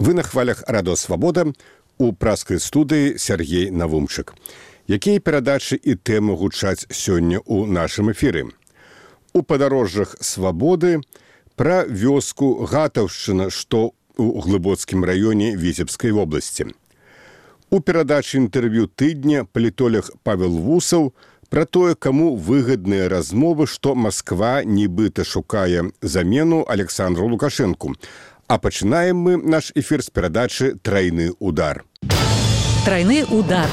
Вы на хвалях Радио Свабода, у праскай студыі Сергей Навумчык. Якія перадачы і тэмы гучаць сёння ў нашым эфіры? У падарожжах свабоды пра вёску Гатаўшчына, што ў Глыбоцкім раёне Віцебскай вобласці. У перадачы інтэрв'ю тыдня палітолог Павел Вусаў пра тое, каму выгадныя размовы, што Масква нібыта шукае замену Александру Лукашэнку. А пачынаем мы наш эфір з перадачы «Трайны удар». «Трайны удар».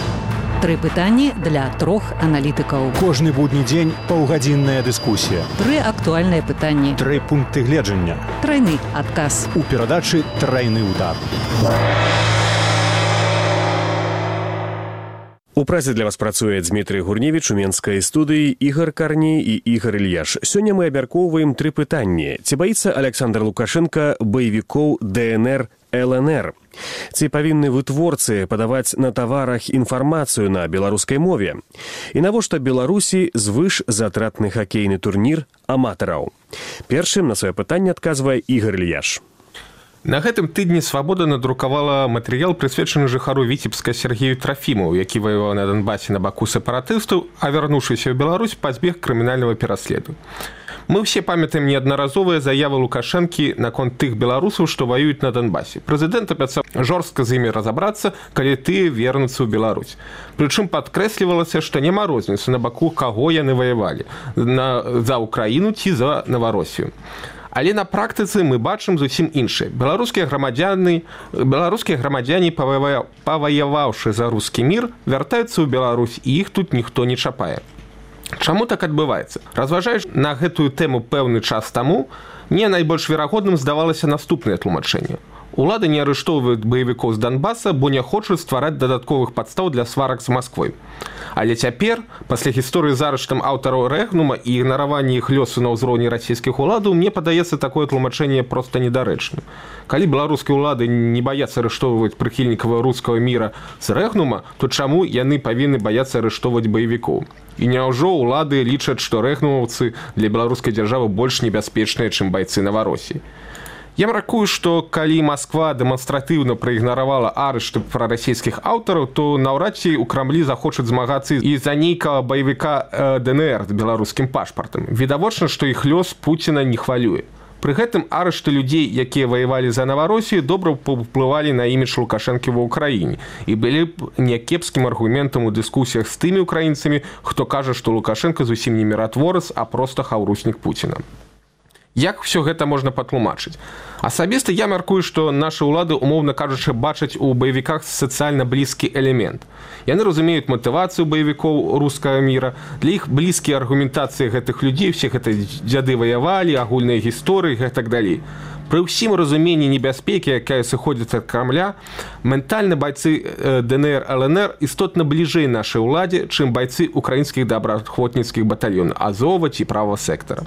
Тры пытанні для трох аналітыкаў. Кожны будні дзень паўгадзінная дыскусія. Тры актуальныя пытанні. Тры пункты гледжання. Трайны адказ. У перадачы «Трайны удар». У працы для вас працуе Дмітрый Гурневіч, у менскай студыі Ігор Карней і Ігор Ільяш. Сёння мы абмяркоўваем тры пытанні. Ці баіцца Александр Лукашенко баевікоў ДНР, ЛНР? Ці павінны вытворцы падаваць на таварах інфармацыю на беларускай мове? І навошта Беларусі звышзатратны хакейны турнір аматараў? Першым на сваё пытанне адказвае Ігор Ільяш. На гэтым тыдні «Свабода» надрукавала матэрыял, прысвечаны жыхару Віцебска Сергею Трафімову, які ваяваў на Донбасе на баку сепаратыстаў, а вярнуўшыся ў Беларусь, пазбег крымінальнага пераследу. Мы ўсе памятаем неаднаразовыя заявы Лукашэнкі наконт тых беларусаў, што ваююць на Донбасе. Прэзідэнт абяцаў жорстка з імі разабрацца, калі тыя вернуцца ў Беларусь. Прычым падкрэслівалася, што няма розніцы, на баку каго яны ваявалі – за Украіну ці за Наваросію. Але на практыцы мы бачым зусім іншае. Беларускія грамадзяне, паваяваўшы за рускі мір, вяртаюцца ў Беларусь, і іх тут ніхто не чапае. Чаму так адбываецца? Разважаючы на гэтую тэму пэўны час таму, мне найбольш верагодным здавалася наступнае тлумачэнне. Улады не арыштоўваюць баевікоў з Донбаса, бо не хочуць ствараць дадатковых падстаў для сварак з Масквой. Але цяпер, пасля гісторыі з арыштам аўтараў Рэгнума і ігнаравання іх лёсу на ўзроўні расійскіх уладаў, мне падаецца такое тлумачэнне проста недарэчным. Калі беларускія ўлады не баяцца арыштоўваць прыхільнікаў рускага міра з Рэгнума, то чаму яны павінны баяцца арыштоўваць баевікоў? І няўжо ўлады лічаць, што рэгнумаўцы для беларускай дзяржавы больш небяспечныя, чым байцы Наваросіі? Я мяркую, што калі Масква дэманстратыўна праігнаравала арышты прарасійскіх аўтараў, то наўрад ці ў Крамлі захочуць змагацца і за нейкага баевіка ДНР з беларускім пашпартам. Відавочна, што іх лёс Пуціна не хвалюе. Пры гэтым арышты людзей, якія ваявалі за Наваросію, добра паўплывалі на імідж Лукашэнкі ва ўкраіне і былі б някепскім аргументам у дыскусіях з тымі ўкраінцамі, хто кажа, што Лукашенко зусім не міратворец, а проста хаўруснік Пуціна. Як ўсё гэта можна патлумачыць? Асабіста я мяркую, што нашы ўлады, умоўна кажучы, бачаць у баевіках сацыяльна блізкі элемент. Яны разумеюць матывацыю баевікоў рускага міра, для іх блізкія аргументацыі гэтых людзей, усе гэта дзяды ваявалі, агульныя гісторыі і так далей. Пры ўсім разуменні небяспекі, якая сыходзіць ад Крамля, ментальна байцы ДНР, ЛНР істотна бліжэй нашай уладзе, чым байцы украінскіх добраахвотніцкіх батальёнаў Азова ці правага сектара.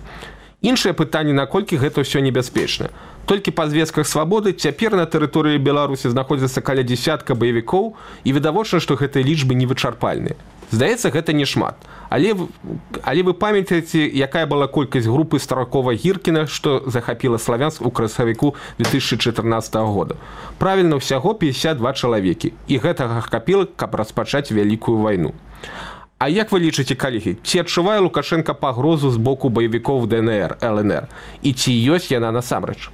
Іншае пытанне, наколькі гэта ўсё небяспечна. Толькі па звестках «Свабоды» цяпер на тэрыторыі Беларусі знаходзіцца каля дзясятка баевікоў, і відавочна, што гэтыя лічбы невычарпальныя. Здаецца, гэта не шмат. Але вы памятаеце, якая была колькасць групы Старакова-Гіркіна, што захапіла Славянск у красавіку 2014 года. Правільна, ўсяго 52 чалавекі. І гэтага хапіла, каб распачаць вялікую вайну. А як вы лічыце, калегі, ці адчувае Лукашенко пагрозу з боку баевікоў ДНР, ЛНР? І ці ёсць яна насамрэч?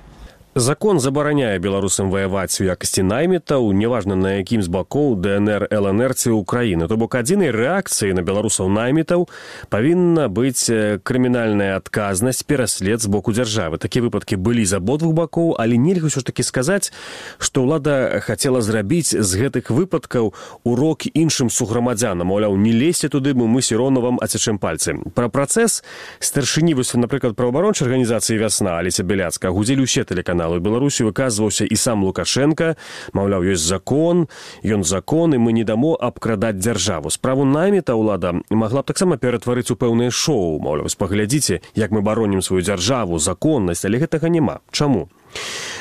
Закон забараняе беларусам ваяваць у якасці наймітаў, неважна на якім з бакоў ДНР, ЛНР ці Украіны. То бок адзінай рэакцыяй на беларусаў наймітаў павінна быць крымінальная адказнасць, пераслед з боку дзяржавы. Такія выпадкі былі з абодвух бакоў, але нельга ўсё ж такі сказаць, што ўлада хацела зрабіць з гэтых выпадкаў урок іншым суграмадзянам. Маўляў, не лезьце туды, бо мы сіроўна вам ацячэм пальцы. Пра працэс старшыні, напрыклад, праваабарончай арганізацыі «Вясна» Алеся Беляцкая гудзілі ўсе тэлеканалы. У Беларусі выказваўся і сам Лукашенко, маўляў, ёсць закон, ён закон, і мы не дамо абкрадаць дзяржаву. Справу найміта ўлада магла б таксама ператварыць у пэўнае шоу. Маўляў, паглядзіце, як мы баронім сваю дзяржаву, законнасць, але гэтага няма. Чаму?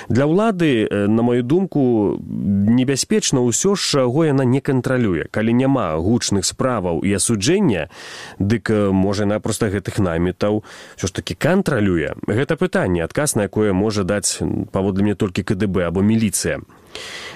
Для ўлады, на маю думку, небяспечна ўсё ж, чаго яна не кантралюе. Калі няма гучных справаў і асуджэння, дык, можа, яна проста гэтых наймітаў ўсё ж такі кантралюе. Гэта пытанне, адказ на якое можа даць, паводле мне, толькі КДБ або міліцыя.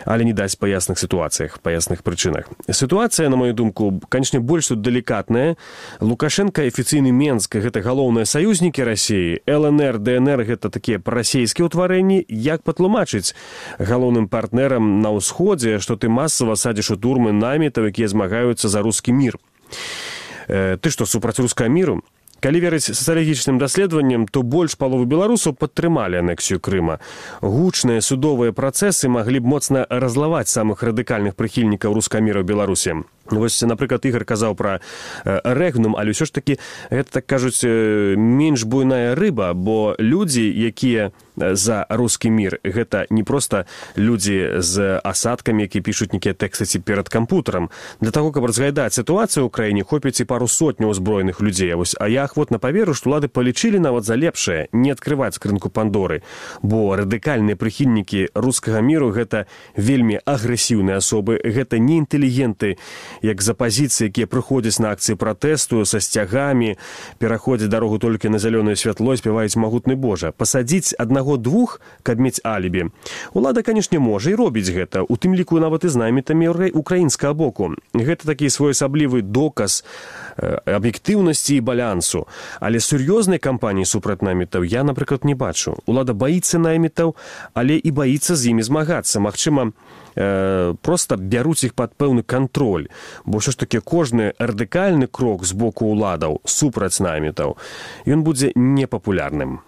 але не даць па ясных сітуацыях, па ясных прычынах. Сітуацыя, на мою думку, канечне, больш тут далікатная. Лукашенко, афіцыйны Менск — гэта галоўныя саюзнікі Расіі. ЛНР, ДНР — гэта такія прарасійскія ўтварэнні. Як патлумачыць галоўным партнерам на ўсходзе, што ты масава садзіш у турмы намітаў, якія змагаюцца за рускі мір? Ты што, супраць рускага міру? Калі верыць сацыялагічным даследаванням, то больш паловы беларусаў падтрымалі анексію Крыма. Гучныя судовыя працэсы маглі б моцна разлаваць самых радыкальных прыхільнікаў рускага міра ў Беларусі. Вось, напрыклад, Ігор казаў пра рэгнум, але ўсё ж такі, гэта, так кажуць, менш буйная рыба, бо людзі, якія за рускі мір, гэта не проста людзі з асадкамі, якія пішуць нейкія тэксты ці перад кампутарам. Для таго, каб разглядаць сітуацыю ў краіне, хопіць і пару сотняў узброеных людзей. Вось, а я ахвотна паверу, што ўлады палічылі нават за лепшае не адкрываць скрынку Пандоры, бо радыкальныя прыхільнікі рускага міру — гэта вельмі агрэсіўныя асобы, гэта не інтэлігенты, як з апазіцыі, якія прыходзяць на акцыі пратэсту са сцягамі, пераходзяць дарогу толькі на зялёнае святло, спяваюць «Магутны Божа». Пасадзіць аднаго-двух, каб мець алібі. Улада, канешне, можа і робіць гэта, у тым ліку нават і з намітамі украінскага боку. Гэта такі своеасаблівы доказ аб'ектыўнасці і балансу. Але сур'ёзнай кампаніі супраць намітаў я, напрыклад, не бачу. Улада баіцца намітаў, але і баіцца з імі змагацца. Магчыма, проста бяруць іх пад пэўны кантроль. Бо ўсё ж такі кожны радыкальны крок з боку ўладаў супраць намітаў, ён будзе непапулярным.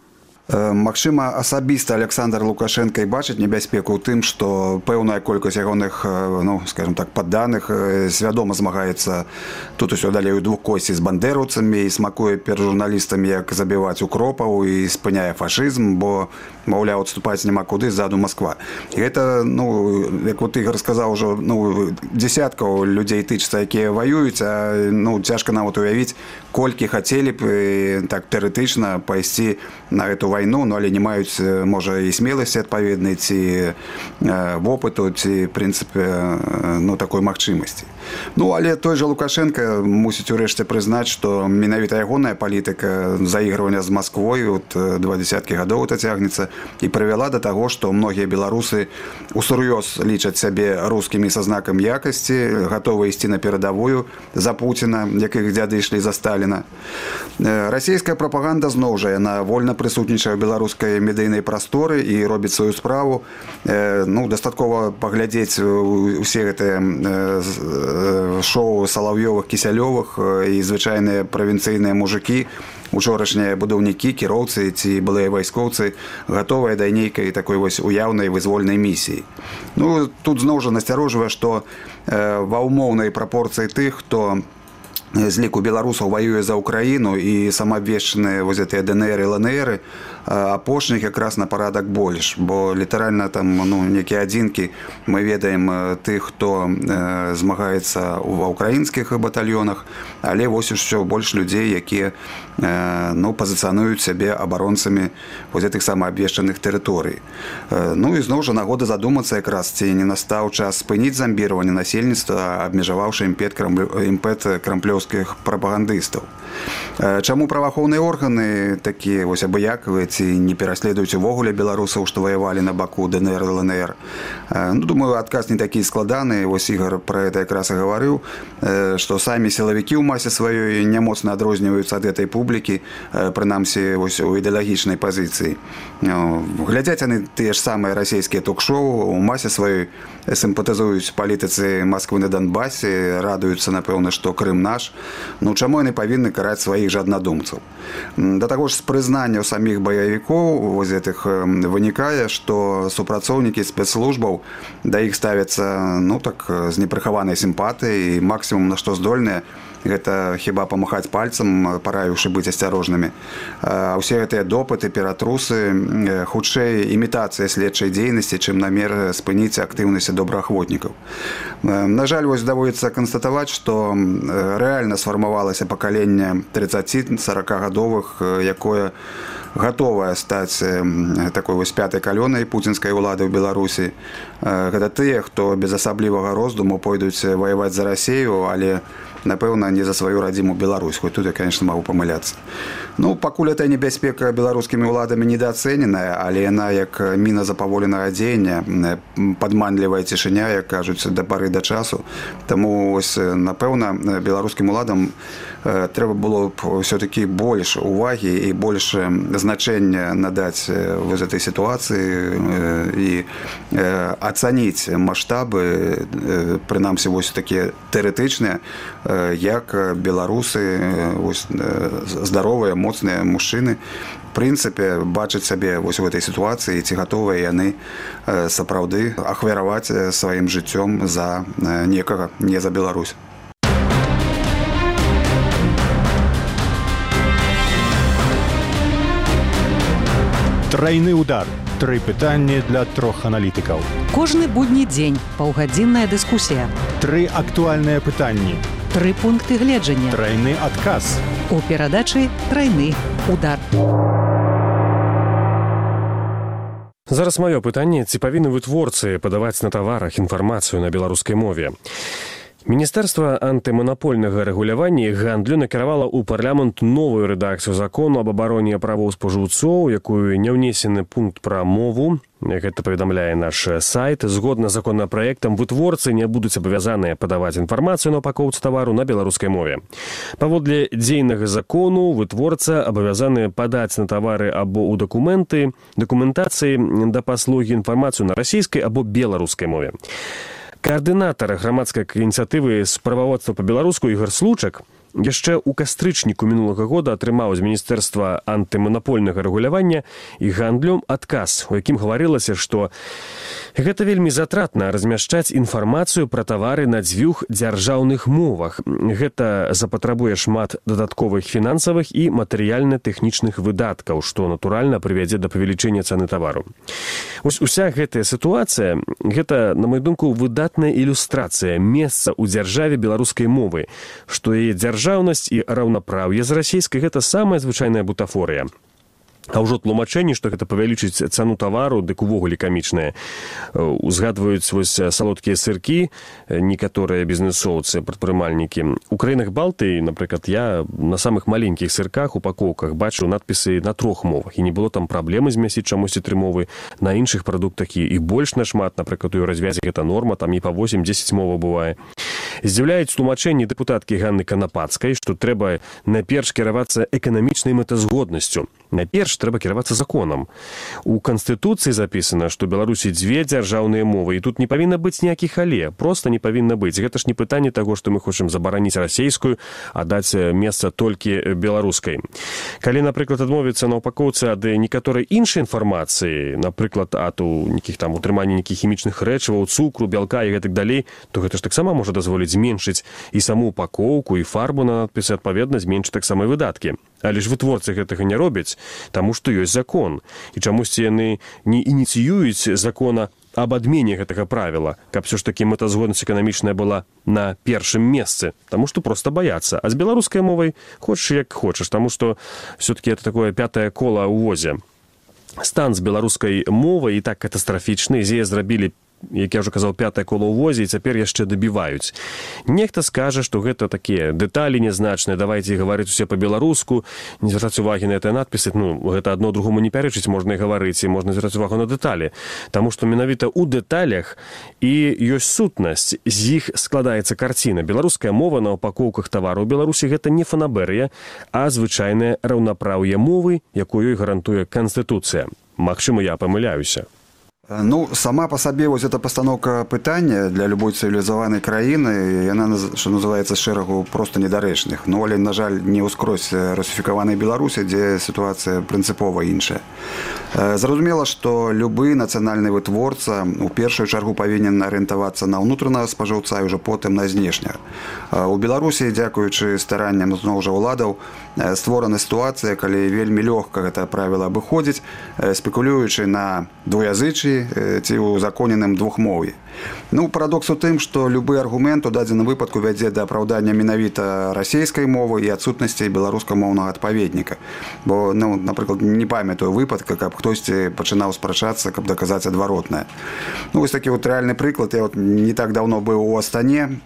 Магчыма, асабіста Александр Лукашенко і бачыць небяспеку ў тым, што пэўная колькасць ягоных, ну, скажем так, падданых свядома змагаецца тут усё далей у двухкосці з бандераўцамі і смакуе перад журналістамі, як забіваць укропаў і спыняе фашызм, бо, маўляў, адступаць няма куды, ззаду Масква. І гэта, ну, як вот Ігор сказаў ужо, ну, дзесяткаў людзей тычыцца, якія ваююць, а, ну, цяжка нават уявіць, колькі хацелі б так тэарэтычна пайсці на эту вайну, ну, але не маюць, можа, і смеласці адпаведнай, ці вопыту, ці, в прынцыпе, ну, такой магчымасці. Ну, але той жа Лукашенко мусіць урэшце прызнаць, што менавіта ягоная палітыка заігрывання з Масквой от 20 гадоў это цягнецца і прывяла да таго, што многія беларусы усур'ёз лічаць сябе рускімі са знакам якасці, гатовы ісці на перадавую за Пуціна, як іх дзяды ішлі за Сталіна. Расійская прапаганда зноў жа, яна вольна прысутнічае ў беларускай медыйнай прасторы і робіць сваю справу. Ну, дастаткова паглядзець усе гэтыя шоу Салаўёвых, Кісялёвых і звычайныя правінцыйныя мужыкі, учорашнія будаўнікі, кіроўцы ці былыя вайскоўцы гатовыя да нейкай такой вось уяўнай вызвольнай місіі. Ну, тут зноў жа насцярожвае, што ва ўмоўнай прапорцыі тых, хто з ліку беларусаў ваюе за Украіну і самаабвешчаныя вось гэтыя ДНР і ЛНР, апошніх якраз на парадак больш, бо літаральна там, ну, некія адзінкі мы ведаем тых, хто змагаецца ва ўкраінскіх батальёнах, але вось усё больш людзей, якія, ну, пазіцыянуюць сябе абаронцамі вось гэтых самаабвешчаных тэрыторый. Ну і зноў жа нагода задумацца якраз, ці не настаў час спыніць замбіраванне насельніцтва, абмежаваўшы імпэт крамплёўскіх прапагандыстаў. Чаму праваахоўныя органы такія вось абыякавыя ці не пераследуюць увогуле беларусаў, што ваявалі на баку ДНР, ЛНР? Ну, думаю, адказ не такі складаны. Вось Ігор пра гэта якраз і гаварыў, што самі сілавікі ў масе сваёй не моцна адрозніваюцца ад гэтай публікі, прынамсі вось у ідэалагічнай пазіцыі. Глядзяць яны тыя ж самыя расійскія ток-шоу, у масе сваёй сімпатызуюць палітыцы Масквы на Донбасе, радуюцца, напэўна, што Крым наш. Ну, чаму яны павінны караць сваіх жа аднадумцаў? Да таго ж з прызнання саміх баявікоў вось гэтых вынікае, што супрацоўнікі спецслужбаў да іх ставяцца, ну, так, з непрыхаванай сімпатыяй, і максімум, на што здольныя, гэта хіба памахаць пальцам, параіўшы быць асцярожнымі. Усе гэтыя допыты, ператрусы, хутчэй імітацыя следчай дзейнасці, чым намер спыніць актыўнасць добраахвотнікаў. На жаль, вось даводзіцца канстатаваць, што рэальна сфармавалася пакаленне 30-40гадовых, якое гатовая стаць такой вось пятай калёнай пуцінскай улады ў Беларусі. Гэта тыя, хто без асаблівага роздуму пойдуць ваяваць за Расію, але напэўна, не за сваю радзіму Беларусь, хоць тут я, конечно, могу памыляцца. Ну, пакуль эта небяспека беларускімі ўладамі недаацэненая, але яна як міна запаволенага дзеяння, падманлівая цішыня, як кажуць, да пары да часу. Таму, ось, напэўна, беларускім уладам трэба было б все-таки больш увагі і больш значэння надаць вось этой сітуацыі і ацаніць маштабы, прынамсі, вось такія тэарэтычныя, як беларусы, вось, здаровыя, моцныя мужчыны, в прынцыпе, бачаць сябе вось у этой сітуацыі, ці гатовыя яны сапраўды ахвяраваць сваім жыццём за некага, не за Беларусь. Трайны удар. 3 пытанні для 3 аналітыкаў. Кожны будні дзень паўгадзінная дыскусія. 3 актуальныя пытанні. 3 пункты гледжання. Трайны адказ. У перадачы «Трайны удар». Зараз маё пытанне, ці павінны вытворцы падаваць на таварах інфармацыю на беларускай мове. Міністэрства антыманапольнага рэгулявання і гандлю накіравала ў парламент новую рэдакцыю закону аб абароне правоў спажыўцоў, якую не ўнесены пункт пра мову. Гэта паведамляе наш сайт. Згодна з законапраектам, вытворцы не будуць абавязаныя падаваць інфармацыю на упакоўцы тавару на беларускай мове. Паводле дзейнага закону, вытворца абавязаны падаць на тавары або ў дакументацыі да паслугі інфармацыю на расійскай або беларускай мове. Координатор громадской инициативы справаводства по-беларуску Ігор Случак яшчэ ў кастрычніку мінулага года атрымаў з Міністэрства антыманапольнага рэгулявання і гандлю адказ, у якім гаварылася, што гэта вельмі затратна размяшчаць інфармацыю пра тавары на 2 дзяржаўных мовах. Гэта запатрабуе шмат дадатковых фінансавых і матэрыяльна-тэхнічных выдаткаў, што, натуральна, прывядзе да павелічэння цаны тавару. Вось уся гэтая сітуацыя, гэта, на маю думку, выдатная ілюстрацыя месца ў дзяржаве беларускай мовы, што яе дзяржаўнасць і раўнапраўе з расійскай – гэта самая звычайная бутафорыя. А ўжо тлумачэнне, што гэта павялічыць цану тавару, дык увогуле камічнае. Узгадваюць вось салодкія сыркі некаторыя бізнесоўцы, прадпрымальнікі. У краінах Балтыі, напрыклад, я на самых маленькіх сырках, упакоўках бачыў надпісы на 3 мовах. І не было там праблемы змясціць чамусьці 3 мовы. На іншых прадуктах і больш нашмат, напрыклад, у развязе гэта норма, там і па 8-10 моваў бывае. Здзіўляюць тлумачэнні дэпутаткі Ганны Канапацкай, што трэба найперш кіравацца эканамічнай мэтазгоднасцю. Найперш трэба кіравацца законам. У Канстытуцыі запісана, што Беларусі 2 дзяржаўныя мовы, і тут не павінна быць ніякіх але, проста не павінна быць. Гэта ж не пытанне таго, што мы хочам забараніць расейскую, а даць месца толькі беларускай. Калі, напрыклад, адмовіцца на упакоўцы ад некаторай іншай інфармацыі, напрыклад, ад нейкіх там утрымання нейкіх хімічных рэчываў, цукру, бялка і гэтак далей, то гэта ж таксама можа дазволіць зменшыць і саму упакоўку, і фарбу на надпісы, адпаведна, зменшыць таксама і выдаткі. Але ж вытворцы гэтага не робяць, таму што ёсць закон. І чамусьці яны не ініцыююць закона аб адмене гэтага правіла, каб все ж такі мэтазгоднасць эканамічная была на першым месцы, таму што проста баяцца. А з беларускай мовай хочаш як хочаш, таму што все-таки это такое 5-е кола ў возе. Стан з беларускай мовай і так катастрафічны, з яе зрабілі, як я ўжо казаў, 5-е кола ў возе, і цяпер яшчэ дабіваюць. Нехта скажа, што гэта такія дэталі нязначныя, давайце гаварыць усе па-беларуску, не звяртаць увагі на гэтыя надпісы, гэта адно другому не пярэчыць, можна і гаварыць, і можна звяртаць увагу на дэталі. Таму што менавіта ў дэталях і ёсць сутнасць, з іх складаецца карціна. Беларуская мова на упакоўках тавару ў Беларусі гэта не фанабэрыя, а звычайнае раўнапраўе мовы, якую гарантуе Канстытуцыя. Магчыма, я памыляюся. Ну, сама по сабе вось эта пастаноўка пытання для любой цывілізаванай краіны, яна, што называецца, шэрагу проста недарэчных. Ну, але, на жаль, не ўскрозь русіфікаванай Беларусі, дзе сітуацыя прынцыпова іншая. Зразумела, што любы нацыянальны вытворца у першую чаргу павінен арыентавацца на ўнутранага спажыўца і ўжо потым на знешняга. У Беларусі, дзякуючы старанням зноў жа ўладаў, створана сітуацыя, калі вельмі лёгка гэта правіла абыходзіць, спекулюючы на двуязычы, беларусі ці ў узаконеным двухмоўі. Парадокс у тым, што любы аргумент у дадзеным выпадку вядзе да апраўдання менавіта расійскай мовы і адсутнасці беларускамоўнага адпаведніка. Бо, напрыклад, не памятаю выпадка, каб хтосьці пачынаў спрачацца, каб даказаць адваротнае. Вось такі рэальны прыклад. Я не так даўно быў у Астане.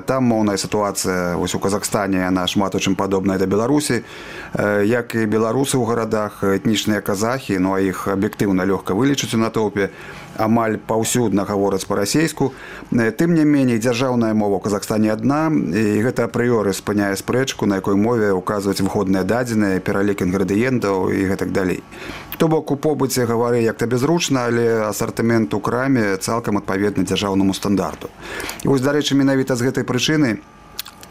Там моўная сітуацыя вось у Казахстане, яна шмат у чым падобная да Беларусі. Як і беларусы ў гарадах, этнічныя казахі, а іх аб'ектыўна лёгка вылічыць у натоўпе, амаль паўсюдна гавораць па-расейску. Тым не меней, дзяржаўная мова ў Казахстане адна, і гэта апрыёры спыняе спрэчку, на якой мове ўказваць выходныя дадзеныя, пералік інгрэдыентаў і гэтак далей. То бок, у побыце гавары як табе зручна, але асартымент у краме цалкам адпаведны дзяржаўнаму стандарту. І вось, дарэчы, менавіта з гэтай прычыны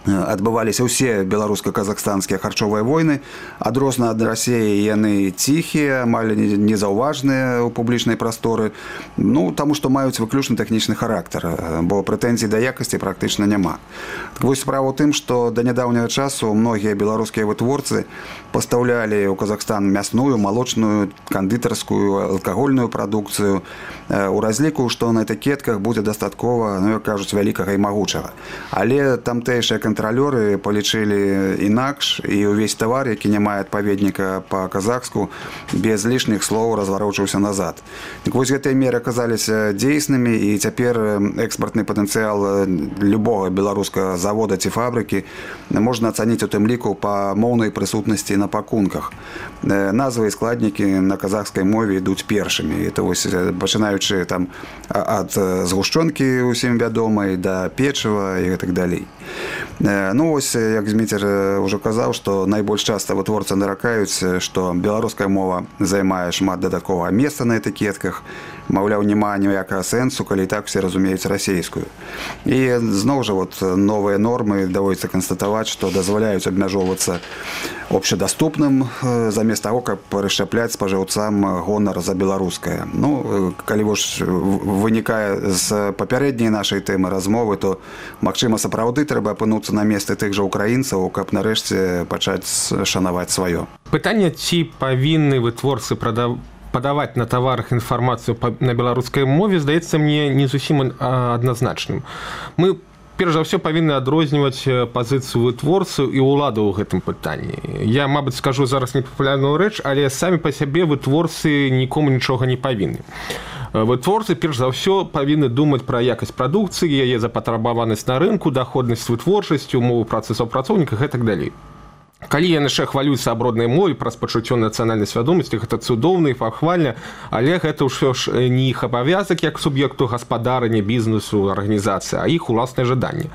адбываліся ўсе беларуска-казахстанскія харчовыя войны. Адрозна ад Расіі яны ціхія, амаль незаўважныя ў публічнай прасторы, таму што маюць выключна тэхнічны характар, бо прэтэнзій да якасці практычна няма. Так вось справа ў тым, што да нядаўняга часу многія беларускія вытворцы пастаўлялі ў Казахстан мясную, малочную, кандытарскую, алкагольную прадукцыю у разліку, што на этыкетках будзе дастаткова, як кажуць, вялікага і магучага. Але тамтэйшыя кантралёры палічылі інакш, і ўвесь тавар, які не мае адпаведніка па-казахску, без лішніх слоў разварочыўся назад. Так вось гэтыя меры аказаліся дзейснымі, і цяпер экспартны патэнцыял любога беларускага завода ці фабрыкі можна ацаніць у тым ліку па моўнай прысутнасці на пакунках. Назвы і складнікі на казахскай мове ідуць першымі. Это вось пачынаючы там ад згушчонкі усім вядомай да печыва і гэтак далей. Вось, як Зміцер ўжо казаў, што найбольш часта вытворцы наракаюць, што беларуская мова займае шмат дадатковага месца на этыкетках, маўляў, няма ніякага сэнсу, калі і так усе разумеюць расейскую. І зноў жа новыя нормы даводзіцца канстатаваць, што дазваляюць абмяжоўвацца общедаступным замест таго, каб расшчапляць спажыўцам гонар за беларускае. Калі вынікае з папярэдняй нашай тэмы размовы, то, магчыма, сапраўды трэба апынуцца на месцы тых жа украінцаў, каб нарэшце пачаць шанаваць сваё. Пытанне, ці павінны вытворцы падаваць на таварах інфармацыю на беларускай мове, здаецца мне не зусім адназначным. Мы перш за ўсё павінны адрозніваць пазіцыю вытворцаў і ўладаў у гэтым пытанні. Я, мабыць, скажу зараз непапулярную рэч, але самі па сябе вытворцы нікому нічога не павінны. Вытворцы, перш за ўсё, павінны думаць пра якасць прадукцыі, яе запатрабаванасць на рынку, даходнасць вытворчасці, умовы працы супрацоўніка і гэтак далей. Калі яны яшчэ хвалююцца аб роднай мове, праз пачуццё нацыянальнай свядомасці, гэта цудоўна і пахвальна, але гэта ўсё ж не іх абавязак як суб'екту гаспадарання, бізнесу, арганізацыі, а іх уласнае жаданне.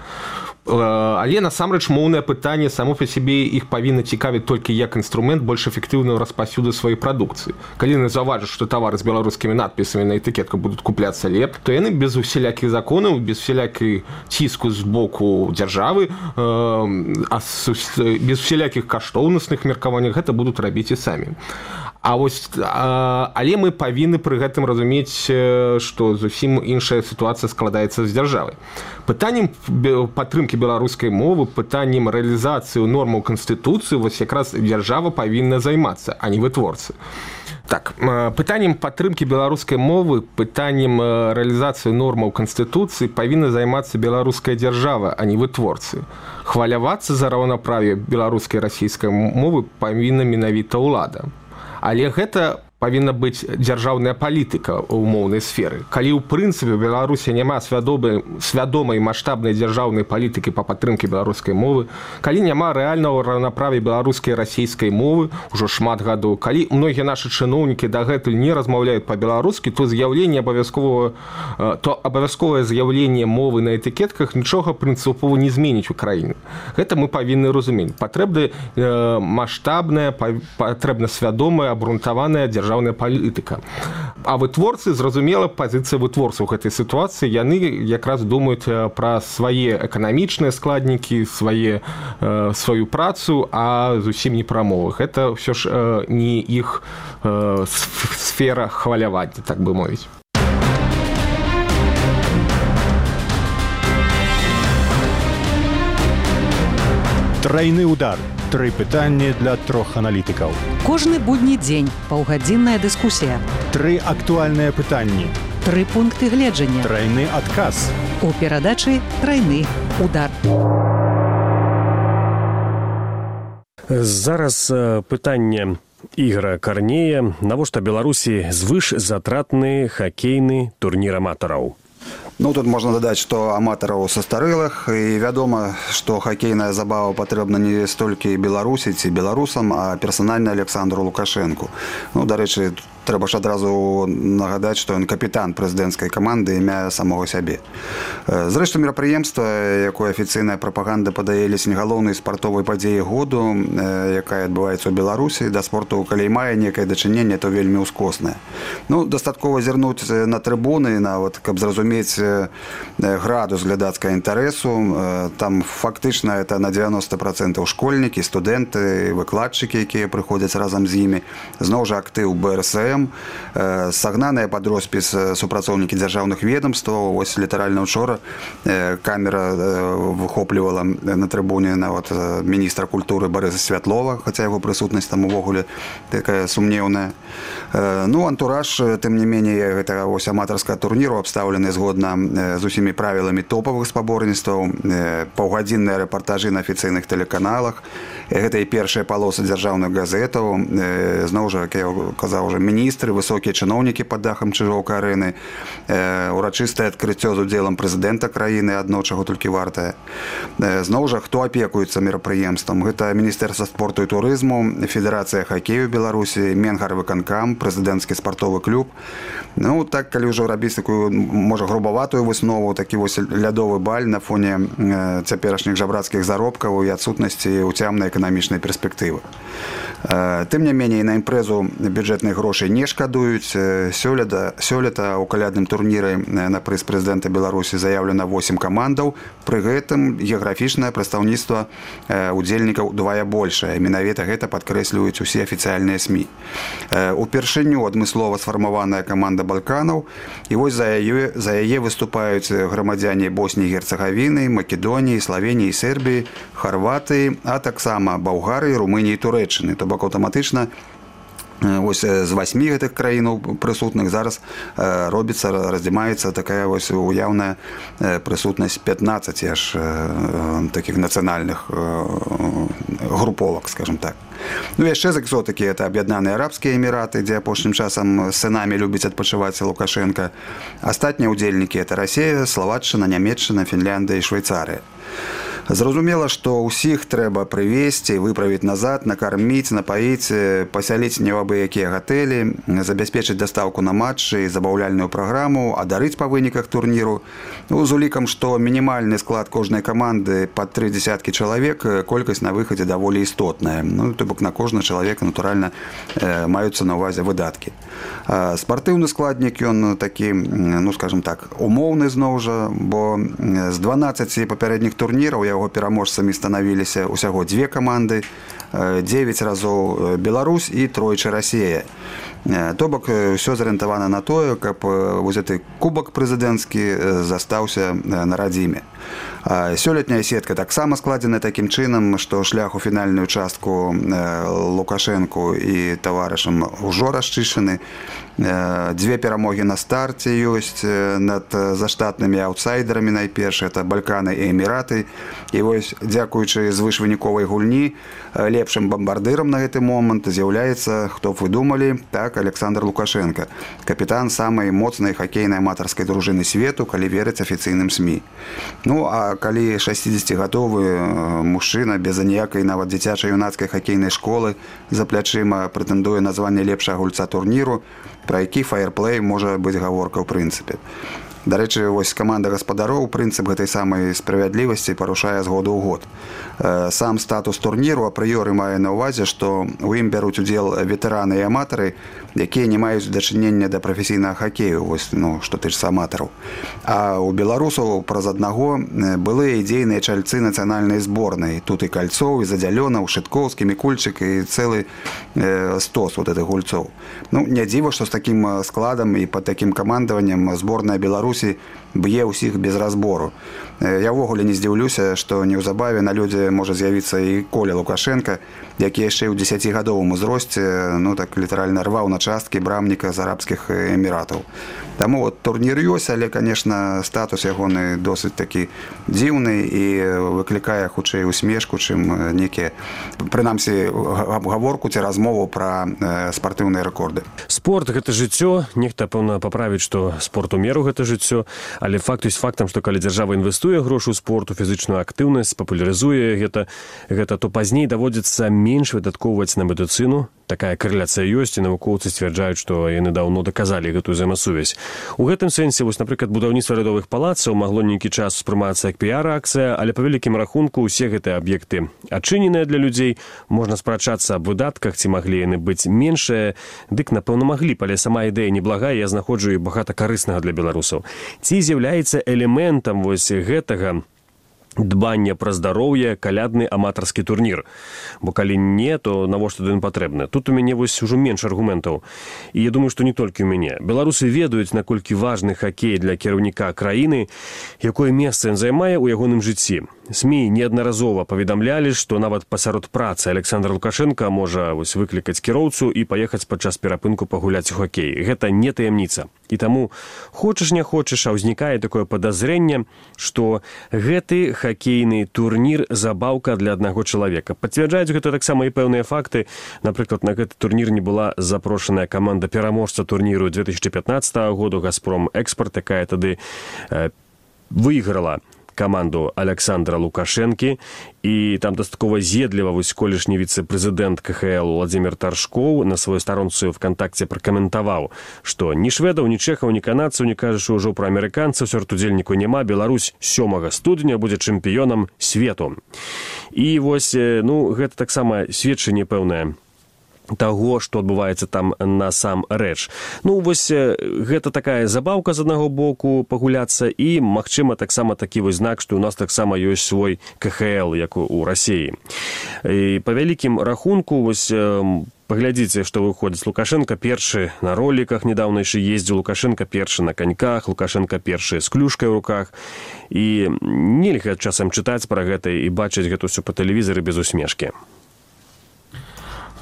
Але насамрэч моўнае пытанне само па сябе іх павінна цікавіць толькі як інструмент больш эфектыўнага распаўсюду сваёй прадукцыі. Калі яны заўважаць, што тавары з беларускімі надпісамі на этыкетках будуць купляцца лепш, то яны без усялякіх законаў, без усялякай ціску з боку дзяржавы, без усялякіх каштоўнасных меркаванняў гэта будуць рабіць і самі. Але мы павінны пры гэтым разумець, што зусім іншая сітуацыя складаецца з дзяржавай. Пытаннем падтрымкі беларускай мовы, пытаннем рэалізацыі нормаў Канстытуцыі вось якраз дзяржава павінна займацца, а не вытворцы. Так, пытаннем падтрымкі беларускай мовы, пытаннем рэалізацыі нормаў Канстытуцыі павінна займацца беларуская дзяржава, а не вытворцы. Хвалявацца за раўнаправе беларускай і расійскай мовы павінна менавіта ўлада. Але гэта павінна быць дзяржаўная палітыка ў моўнай сферы. Калі ў прынцыпе Беларусі няма свядомай маштабнай дзяржаўнай палітыкі па падтрымке беларускай мовы, калі няма рэальнага раўнаправя беларускай і расійскай мовы ўжо шмат гадоў, калі многія нашы чыноўнікі дагэтуль не размаўляюць па-беларускі, то абавязковае з'яўленне мовы на этыкетках нічога прынцыпова не зменіць у краіне. Гэта мы павінны разумець. Патрэбна маштабная, патрэбна свядомая, абрунтаваная дзяржаўная палітыка. А вытворцы, зразумела, пазіцыя вытворцаў гэтай сітуацыі, яны якраз думаюць пра свае эканамічныя складнікі, сваю працу, а зусім не пра мовы. Гэта ўсё ж не іх сфера хвалявання, так бы мовіць. Трайны удар. 3 пытанні для 3 аналітыкаў. Кожны будні дзень паўгадзінная дыскусія. 3 актуальныя пытанні. Тры пункты гледжання. Трайны адказ. У перадачы «Трайны удар». Зараз пытанне Ігора Карнея. Навошта Беларусі звышзатратны хакейны турнір аматараў? Ну, тут можно додать, что аматараў састарэлых, и вядома, что хоккейная забава патрэбна не столькі беларусі ці беларусам, а персанальна Александру Лукашенку. Ну, дарэчы, трэба ж адразу нагадаць, што ён капітан прэзідэнцкай каманды імя самого сябе. Зрэшты, мерапрыемства, якое афіцыйная прапаганда падае ледзь галоўнай спартовай падзеі году, якая адбываецца ў Беларусі, да спорту, калі мае некае дачыненне, то вельмі ўскоснае. Ну, дастаткова зірнуць на трыбуны, нават, каб зразумець градус глядацкага інтарэсу. Там фактычна это на 90% школьнікі, студэнты, выкладчыкі, якія прыходзяць разам з імі. Зноў жа актыў БРСМ, сагнаныя пад роспіс супрацоўнікі дзяржаўных ведомстваў. Вось літаральна учора камера выхоплівала на трыбуне нават міністра культуры Барыса Святлова, хаця яго прысутнасць там увогуле такая сумнеўная. Ну, антураж, тым не меней, гэта вось аматарскага турніру абстаўлены згодна з усімі правіламі топавых спаборніцтваў, паўгадзінныя рэпартажы на афіцыйных тэлеканалах. Гэта і першыя палосы дзяржаўных газетаў. Зноў жа, як я казаў, міністры, высокія чыноўнікі пад дахам Чыжоўка-арэны, урачыстае адкрыццё з удзелам прэзідэнта краіны, адно чаго толькі вартае. Зноў жа, хто апекуецца мерапрыемствам? Гэта Міністэрства спорту і турызму, Федэрацыя хакею Беларусі, Менгарвыканкам, прэзідэнцкі спартовы клуб. Ну, так, калі ўжо рабіць такую, можа, грубаватую выснову, такі вось лядовы баль на фоне цяперашніх жабрацкіх заробкаў і адсутнасці уцямнай эканамічнай перспектывы. Тым не меней, на імпрэзу бюджэтных грошай не шкадуюць. Сёлета ў калядным турніры на прыз прэзідэнта Беларусі заяўлена 8 камандаў. Пры гэтым геаграфічнае прадстаўніцтва удзельнікаў удвая большае. Менавіта гэта падкрэсліваюць усе афіцыяльныя СМІ. Упершыню адмыслова сфармаваная каманда Балканаў, і вось за яе выступаюць грамадзяне Босніі і Герцагавіны, Македоніі, Славеніі, Сербіі, Харватыі, а таксама Балгарыі, Румыніі і Турэччыны. То бок аўтаматычна вось з 8 гэтых краінаў прысутных зараз робіцца, раздзімаецца такая вось уяўная прысутнасць 15 аж такіх нацыянальных груповак, скажем так. Ну, яшчэ з экзотыкі это Аб'яднаныя Арабскія Эміраты, дзе апошнім часам сынамі любіць адпачываць Лукашенка. Астатнія ўдзельнікі это Расія, Славаччына, Нямецчына, Фінляндыя і Швейцарыя. Зразумела, што ўсіх трэба прывезці, выправіць назад, накарміць, напаіць, пасяліць не ў абы-якія гатэлі, забяспечыць дастаўку на матчы і забаўляльную праграму, адарыць па выніках турніру. Ну, з улікам, што мінімальны склад кожнай каманды пад 3 дзесяткі чалавек, колькасць на выхадзе даволі істотная. Ну, то бок на кожны чалавека, натуральна, маюцца на ўвазе выдаткі. Спартыўны складнік, ён такі, ну, скажем так, умоўны зноў жа, бо з 12 папярэдніх турніраў яго пераможцамі станавіліся ўсяго 2 каманды, 9 разоў Беларусь і тройчы Расія. То бок ўсё зарыентавана на тое, каб вось гэты кубак прэзідэнцкі застаўся на радзіме. Сёлетняя сетка таксама складзена такім чынам, што шлях у фінальную частку Лукашэнку і таварышам ужо расчышчаны. 2 перамогі на старце ёсць над заштатнымі аўтсайдерамі найперш, это Балканы і Эміраты. І вось, дзякуючы звышвыніковай гульні, лепшым бамбардырам на гэты момант з'яўляецца, хто б вы думалі, так, Александр Лукашенко, капітан самай моцнай хакейнай аматарскай дружыны свету, калі верыць афіцыйным СМІ. Ну, а калі 60-гадовы мужчына без аніякай нават дзіцяча-юнацкай хакейнай школы за плячыма прэтэндуе на званне лепшага гульца турніру, пра які фаерплэй можа быць гаворка ў прынцыпе. Дарэчы, вось каманда гаспадароў прынцып гэтай самай справядлівасці парушае з году ў год. Сам статус турніру апрыёры мае на ўвазе, што ў ім бяруць удзел ветэраны і аматары, якія не маюць дачынення да прафесійнага хакею, вось, ну, што тычыцца аматараў. А ў беларусаў праз аднаго былыя дзейныя чальцы нацыянальнай зборнай. Тут і Кальцоў, і Задзялёнаў, Шыткоўскі, Мікульчык і цэлы стос вот гэтых гульцоў. Ну, не дзіва, што з такім складам і пад такім камандаваннем зборная Беларусі б'е ўсіх без разбору. Я ўвогуле не здзіўлюся, што неўзабаве на людзе можа з'явіцца і Коля Лукашенко, які яшчэ ў 10гадовым узросце так літаральна рваў на часткі брамніка з арабскіх эміратаў. Таму турнір ёсць, але, конечно, статус ягоны досыць такі дзіўны і выклікае хутчэй усмешку, чым нейкія, прынамсі, гаворку ці размову пра спартыўныя рэкорды. Спорт – гэта жыццё. Нехта, пэўна, паправіць, што спорт у меру – гэта жыццё. Але факт ёсць фактам, што калі дзяржава інвестуе грошы ў спорт, у фізычную актыўнасць, папулярызуе гэта, то пазней даводзіцца менш выдаткоўваць на медыцыну. Такая карэляцыя ёсць, і навукоўцы сцвярджаюць, што яны даўно даказалі гэтую взаемасувязь. У гэтым сэнсе, напрыклад, будаўніцтва радовых палацаў магло нейкі час успрымацца як піар-акцыя, але па вялікім рахунку ўсе гэтыя аб'екты адчыненыя для людзей. Можна спрачацца аб выдатках, ці маглі яны быць меншыя. Дык, напэўна, маглі б, але сама ідэя неблагая, я знаходжу і багата карыснага для беларусаў. Ці з'яўляецца элементам гэтага дбання пра здароўе калядны аматарскі турнір. Бо калі не, то навошта ён патрэбны? Тут у мяне ужо менш аргументаў. І я думаю, што не толькі ў мяне. Беларусы ведаюць, наколькі важны хакей для кіраўніка краіны, якое месца ён займае ў ягоным жыцці. СМІ неаднаразова паведамлялі, што нават пасярод працы Александр Лукашенко можа выклікаць кіроўцу і паехаць падчас перапынку пагуляць у хакей. Гэта не таямніца. І таму, хочаш не хочаш, а ўзнікае такое падазрэнне, што гэты хакейны турнір забаўка для аднаго чалавека. Пацвярджаюць гэта таксама і пэўныя факты. Напрыклад, на гэты турнір не была запрошаная каманда пераможца турніру 2015 году «Газпром Экспорт», якая тады выйграла каманду Александра Лукашэнкі, і там дастаткова з'едліва колішні віцэ-прэзідэнт КХЛ Владзімір Таршкоў на сваёй старонцы ВКонтакце пракаментаваў, што ні шведаў, ні чэхаў, ні канадцаў, не кажучы ўжо пра амерыканцаў, сярод-удзельніку няма. Беларусь 7 студня будзе чэмпіёнам свету. І гэта таксама сведчанне пэўнае таго, што адбываецца там насамрэч. Гэта такая забаўка з аднаго боку пагуляцца, і, магчыма, таксама такі знак, што ў нас таксама ёсць свой КХЛ, як у Расіі. І па вялікім рахунку, паглядзіце, што выходзіць. Лукашенко першы на роліках недаўна яшчэ ездзіў, Лукашенко першы на каньках, Лукашенко першы з клюшкай у руках. І нельга часам чытаць пра гэта і бачыць гэта ўсё па тэлевізары без усмешкі.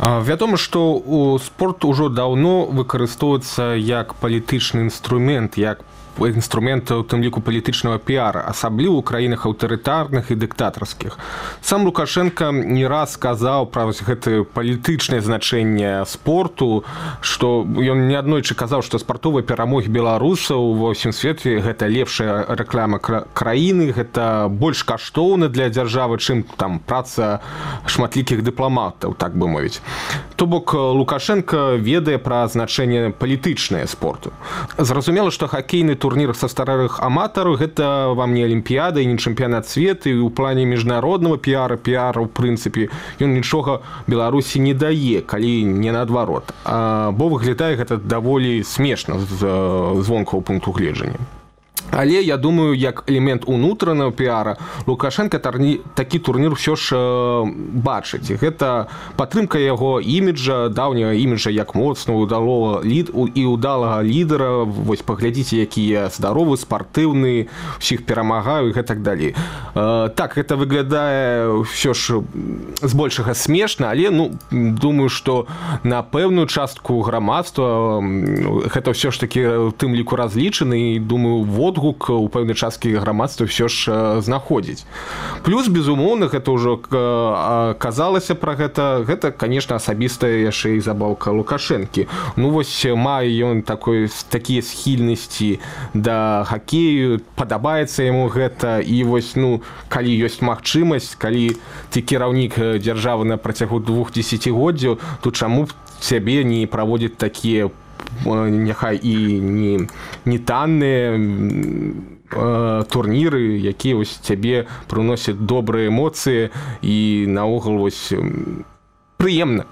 Вядома, што спорт ужо даўно выкарыстоўваецца як палітычны інструмент, як інструмент, у тым ліку, палітычнага піара, асабліва ў краінах аўтарытарных і дыктатарскіх. Сам Лукашенко не раз сказаў пра гэтае палітычнае значэнне спорту, што ён неаднойчы казаў, што спартовыя перамогі беларусаў ва ўсім свеце гэта лепшая рэклама краіны, гэта больш каштоўна для дзяржавы, чым там праца шматлікіх дыпламатаў, так бы мовіць. То бок Лукашенко ведае пра значэнне палітычнае спорту. Зразумела, што хакейны турнір са старых аматараў гэта вам не алімпіяда і не чэмпіянат свету, і ў плане міжнароднага піара, ў прынцыпе, ён нічога Беларусі не дае, калі не наадварот. Бо выглядае гэта даволі смешна з вонкавага пункту гледжання. Але, я думаю, як элемент унутранага піара Лукашенко такі турнір ўсё ж бачыць. Гэта падтрымка яго іміджа, даўняга іміджа як моцного, удалага лідара. Паглядзіце, якія здаровы, спартыўны, усіх перамагаю і гэтак далей. Так, гэта выглядае ўсё ж збольшага смешна, але, думаю, што на пэўную частку грамадства гэта ўсё ж такі ў тым ліку разлічаны, і, думаю, водгук у пэўнай часткі грамадства ўсё ж знаходзіць. Плюс, безумоўна, гэта ўжо казалася пра гэта. Гэта, конечно, асабістая яшчэ і забаўка Лукашэнкі. Мае ён такія схільнасці да хакею, падабаецца яму гэта, і калі ёсць магчымасць, калі ты кіраўнік дзяржавы на працягу 2 дзесяцігоддзяў, то чаму б цябе не праводзіць такія, няхай і не танныя турніры, якія цябе прыносяць добрыя эмоцыі і наогул прыемна,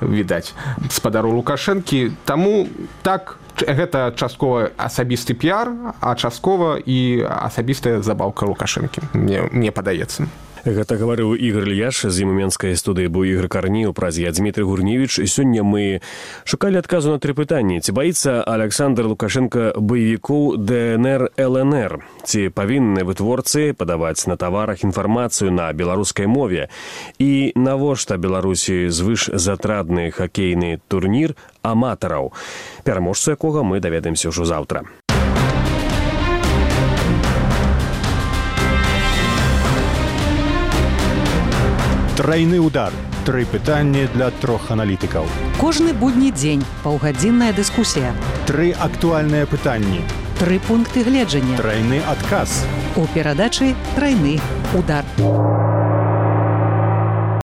відаць, спадару Лукашэнкі. Таму так, гэта часткова асабісты піар, а часткова і асабістая забаўка Лукашэнкі, мне падаецца. Гэта гаварыў Ігор Ільяш, з ім у менскай студыі быў Ігор Карні, у празе я Дмітрий Гурневіч. Сёння мы шукалі адказу на 3 пытанні. Ці баіцца Александр Лукашенко баевікоў ДНР, ЛНР? Ці павінны вытворцы падаваць на таварах інфармацыю на беларускай мове? І навошта Беларусі звышзатратны хакейны турнір аматараў, пераможцу якога мы даведаемся ўжо заўтра. Трайны удар. 3 пытанні для 3 аналітыкаў. Кожны будні дзень паўгадзінная дыскусія. 3 актуальныя пытанні. 3 пункты гледжання. Трайны адказ. У перадачы «Трайны удар».